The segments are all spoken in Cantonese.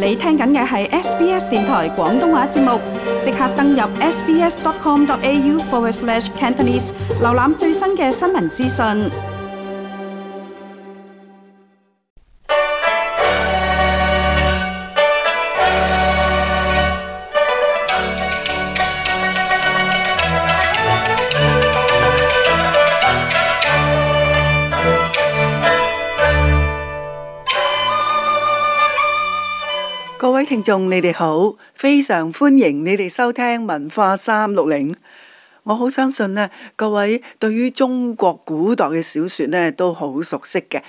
你聽緊嘅係 SBS 電台廣東話節目，即刻登入 sbs.com.au/Cantonese， 瀏覽最新嘅新聞資訊。各位聽眾，你哋好，非常歡迎你哋收聽文化360。我好相信呢，各位對於中國古代嘅小說呢都好熟悉嘅，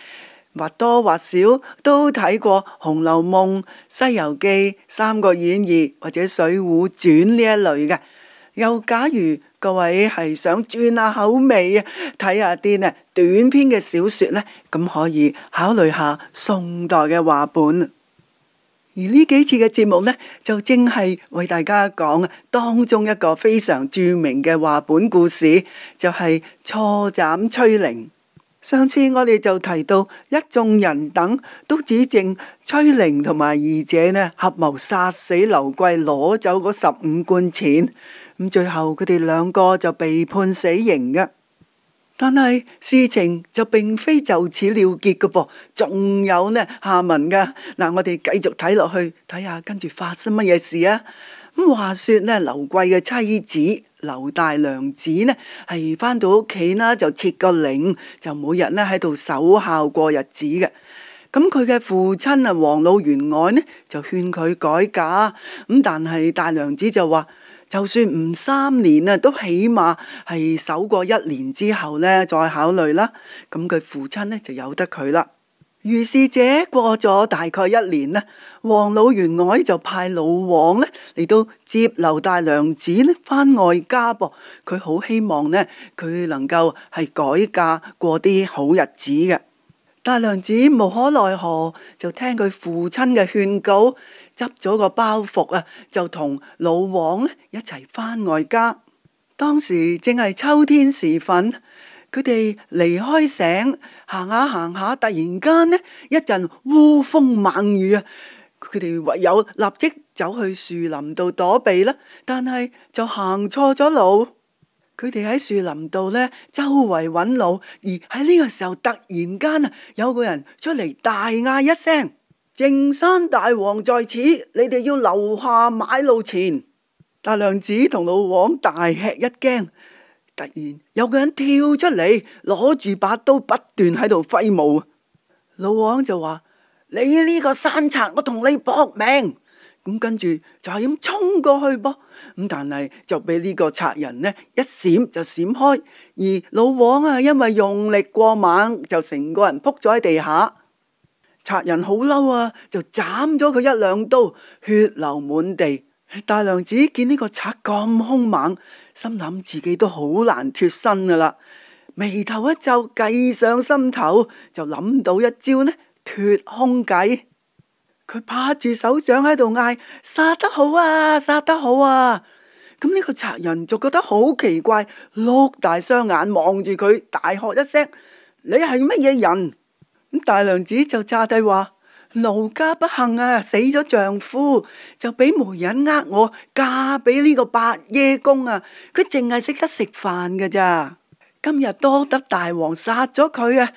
或多或少都睇過《紅樓夢》、《西遊記》、《三國演義》或者《水滸傳》呢一類嘅。又假如各位係想轉下口味啊，睇下啲呢短篇嘅小說呢，咁可以考慮下宋代嘅話本。而呢幾次嘅節目呢，就正係為大家講當中一個非常著名嘅話本故事，就係錯斬崔玲。上次我哋就提到一眾人等都指證崔玲同埋二姐呢合謀殺死劉貴，攞走嗰15貫錢。咁最後佢哋兩個就被判死刑嘅。但係事情就並非就此了結嘅噃，仲有呢下文噶。嗱，我哋繼續睇落去，睇下跟住發生乜嘢事啊。咁話說呢，劉貴嘅妻子劉大娘子呢係返到屋企啦，就設個靈，就每日呢喺度守孝過日子嘅。咁佢嘅父親啊王老員外呢就勸佢改嫁，咁但係大娘子就話，就算唔3年啊，都起碼係守過1年之後呢，再考慮啦。咁佢父親呢就由得佢啦。於是者過咗大概1年呢，王老員外就派老王呢嚟到接劉大娘子呢返外家噃。佢好希望呢，佢能夠係改嫁過啲好日子嘅。大娘子無可奈何，就聽佢父親嘅勸告，執咗個包袱啊，就同老王一齊返外家。當時正係秋天時分，佢哋離開省，行下行下，突然間呢一陣烏風猛雨啊！佢哋唯有立即走去樹林度躲避啦，但係就行錯咗路。佢哋喺樹林度呢周圍揾路，而喺呢個時候突然間啊，有個人出嚟大嗌一聲：靖山大王在此，你哋要留下買路錢。大娘子同老王大吃一驚，突然有個人跳出嚟，攞住把刀不斷喺度揮舞。老王就話：你呢個山賊，我同你搏命！咁跟住就係咁衝過去噃，咁但係就俾呢個賊人呢一閃就閃開，而老王啊因為用力過猛，就成個人撲咗喺地下。賊人好嬲啊，就斬咗佢1、2刀，血流滿地。大娘子見呢個賊咁兇猛，心諗自己都好難脫身噶啦，眉頭一皺，計上心頭，就諗到一招呢脫兇計。佢拍住手掌喺度嗌：殺得好啊，殺得好啊！咁呢個賊人就覺得好奇怪，碌大雙眼望住佢，大喝一聲：你係乜嘢人？咁大娘子就詐諦話：奴家不幸啊，死咗丈夫，就俾媒人呃我嫁俾呢個伯爺公啊，佢淨係識得食飯噶咋。今日多得大王殺咗佢啊，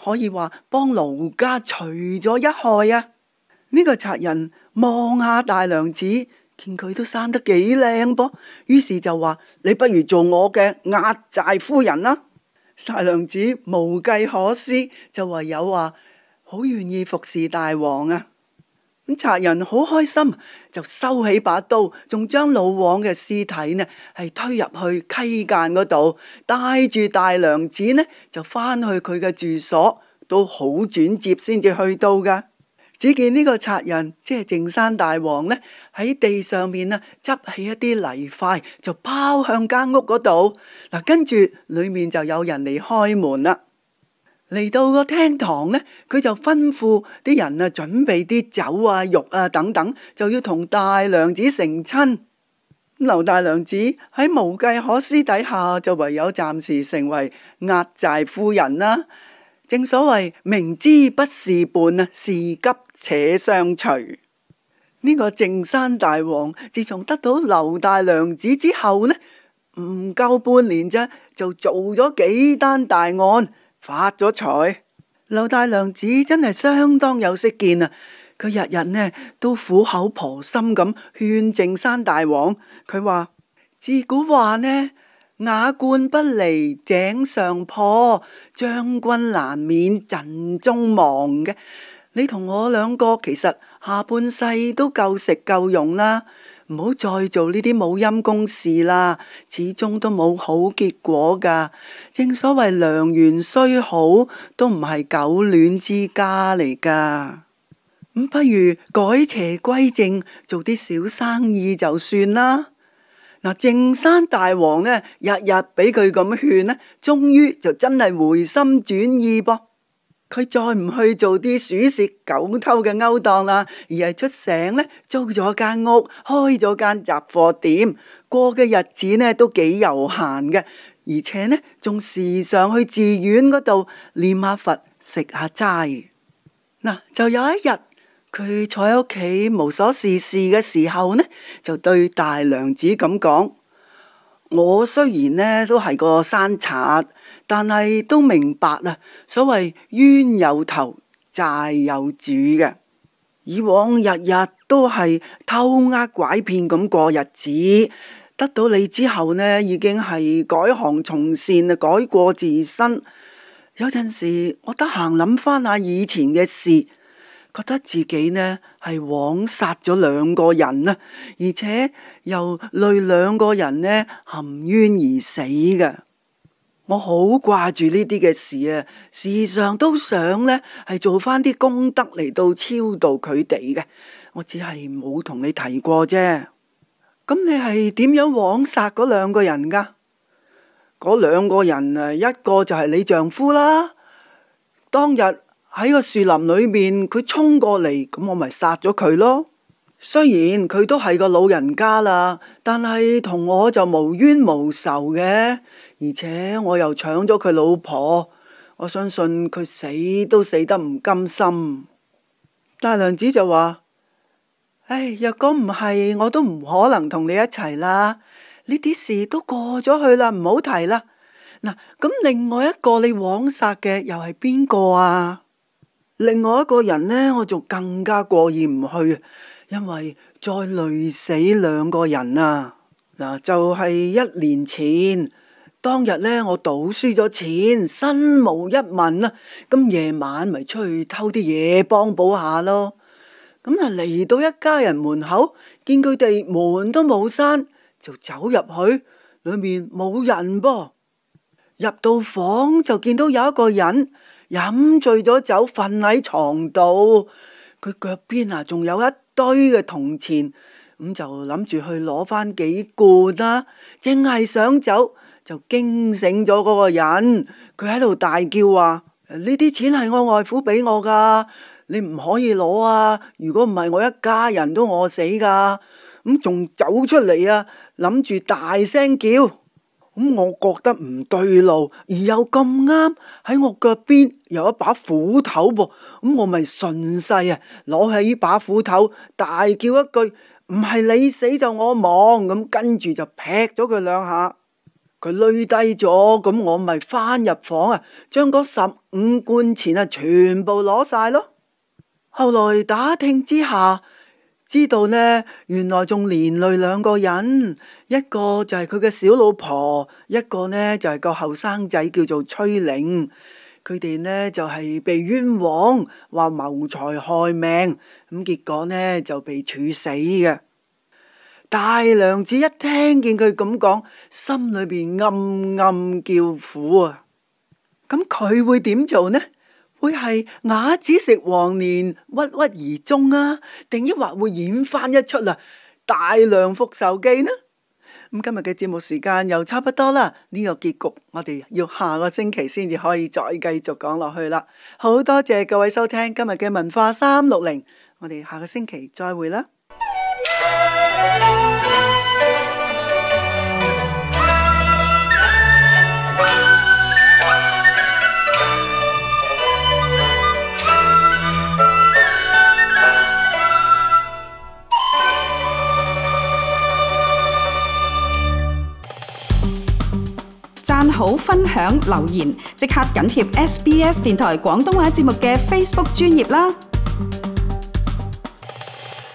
可以話幫奴家除咗一害啊！呢個賊人望下大娘子，見佢都生得幾靚噃，於是就話：你不如做我嘅壓寨夫人啦！大娘子無計可施，就唯有話好願意服侍大王啊！咁賊人好開心，就收起把刀，仲將老王嘅屍體呢係推入去溪澗嗰度，帶住大娘子呢就返去佢嘅住所，都好轉接先至去到噶。只見呢個賊人即係靖山大王呢，喺地上面啊執起一啲泥塊，就拋向間屋嗰度。嗱，跟住裏面就有人嚟開門啦。嚟到個廳堂呢，佢就吩咐啲人啊準備啲酒啊、肉啊等等，就要同大娘子成親。劉大娘子喺無計可施底下，就唯有暫時成為壓寨夫人啦。正所謂明知不是伴啊，是急且相隨。呢個靜山大王自從得到劉大娘子之後呢，唔夠半年啫，就做咗幾單大案，發咗財。劉大娘子真係相當有識見啊！佢日日呢都苦口婆心咁勸靜山大王。佢話自古話呢，瓦罐不離井上破，將軍難免陣中亡嘅。你同我兩個其實下半世都夠食夠用啦，唔好再做呢啲冇陰公事啦，始終都冇好結果噶。正所謂良緣雖好，都唔係久戀之家嚟噶。咁不如改邪歸正，做啲小生意就算啦。嗱，靜山大王呢，日日俾佢咁勸呢，終於就真係回心轉意噃。佢再唔去做啲鼠竊狗偷嘅勾當啦，而係出省呢，租咗間屋，開咗間雜貨店，過嘅日子呢都幾悠閒嘅，而且呢仲時常去寺院嗰度念下佛，食下齋。嗱，就有一日，佢坐喺屋企無所事事嘅時候呢，就對大娘子咁講：我雖然呢都係個山賊，但係都明白啊，所謂冤有頭，債有主嘅。以往日日都係偷呃拐騙咁過日子，得到你之後呢，已經係改行從善啊，改過自新。有陣時我得閒諗翻下以前嘅事，覺得自己呢係枉殺咗兩個人啊，而且又累兩個人呢含冤而死嘅。我好掛住呢啲嘅事啊，時常都想呢係做翻啲功德嚟到超度佢哋嘅。我只係冇同你提過啫。咁你係點樣枉殺嗰兩個人噶？嗰兩個人啊，一個就係你丈夫啦。當日喺個樹林裏面，佢衝過嚟，咁我咪殺咗佢咯。雖然佢都係個老人家啦，但係同我就無冤無仇嘅，而且我又搶咗佢老婆，我相信佢死都死得唔甘心。大娘子就話：唉，若果唔係，我都唔可能同你一齊啦。呢啲事都過咗去啦，唔好提啦。嗱，咁另外一個你枉殺嘅又係邊個啊？另外一個人呢，我就更加過意唔去，因為再累死兩個人啊！嗱，就係1年前，當日呢，我賭輸咗錢，身無一文啊，咁夜晚咪出去偷啲嘢幫補下咯。咁啊嚟到一家人門口，見佢哋門都冇閂，就走入去，裏面冇人噃。入到房就見到有一個人飲醉咗酒，瞓喺床度，佢腳邊啊仲有一堆嘅銅錢，咁就諗住去攞翻幾罐啦。淨係想走，就驚醒咗嗰個人，佢喺度大叫話：呢啲錢係我外父俾我噶，你唔可以攞啊！如果唔係，我一家人都餓死噶。咁仲走出嚟啊，諗住大聲叫。咁我覺得唔對路，而又咁啱喺我腳邊有一把斧頭噃，咁我咪順勢啊攞起呢把斧頭，大叫一句：唔係你死就我亡！咁跟住就劈咗佢兩下，佢累低咗，咁我咪翻入房啊，將嗰15罐錢啊全部攞晒咯。後來打聽之下，知道呢，原來仲連累兩個人，一個就係佢嘅小老婆，一個呢就係個後生仔叫做崔玲。佢哋呢就係被冤枉，話謀財害命，咁結果呢就被處死嘅。大娘子一聽見佢咁講，心裏邊暗暗叫苦啊！咁佢會點做呢？會係啞子食黃連，鬱鬱而終啊？定抑或會演翻一出大娘復仇記呢？咁今日嘅節目時間又差不多啦，呢個結局我哋要下個星期先至可以再繼續講落去啦。好多謝各位收聽今日嘅文化360，我哋下個星期再會啦。讚好、分享、留言，即刻緊貼SBS 電台廣東話節目嘅 Facebook 專頁啦！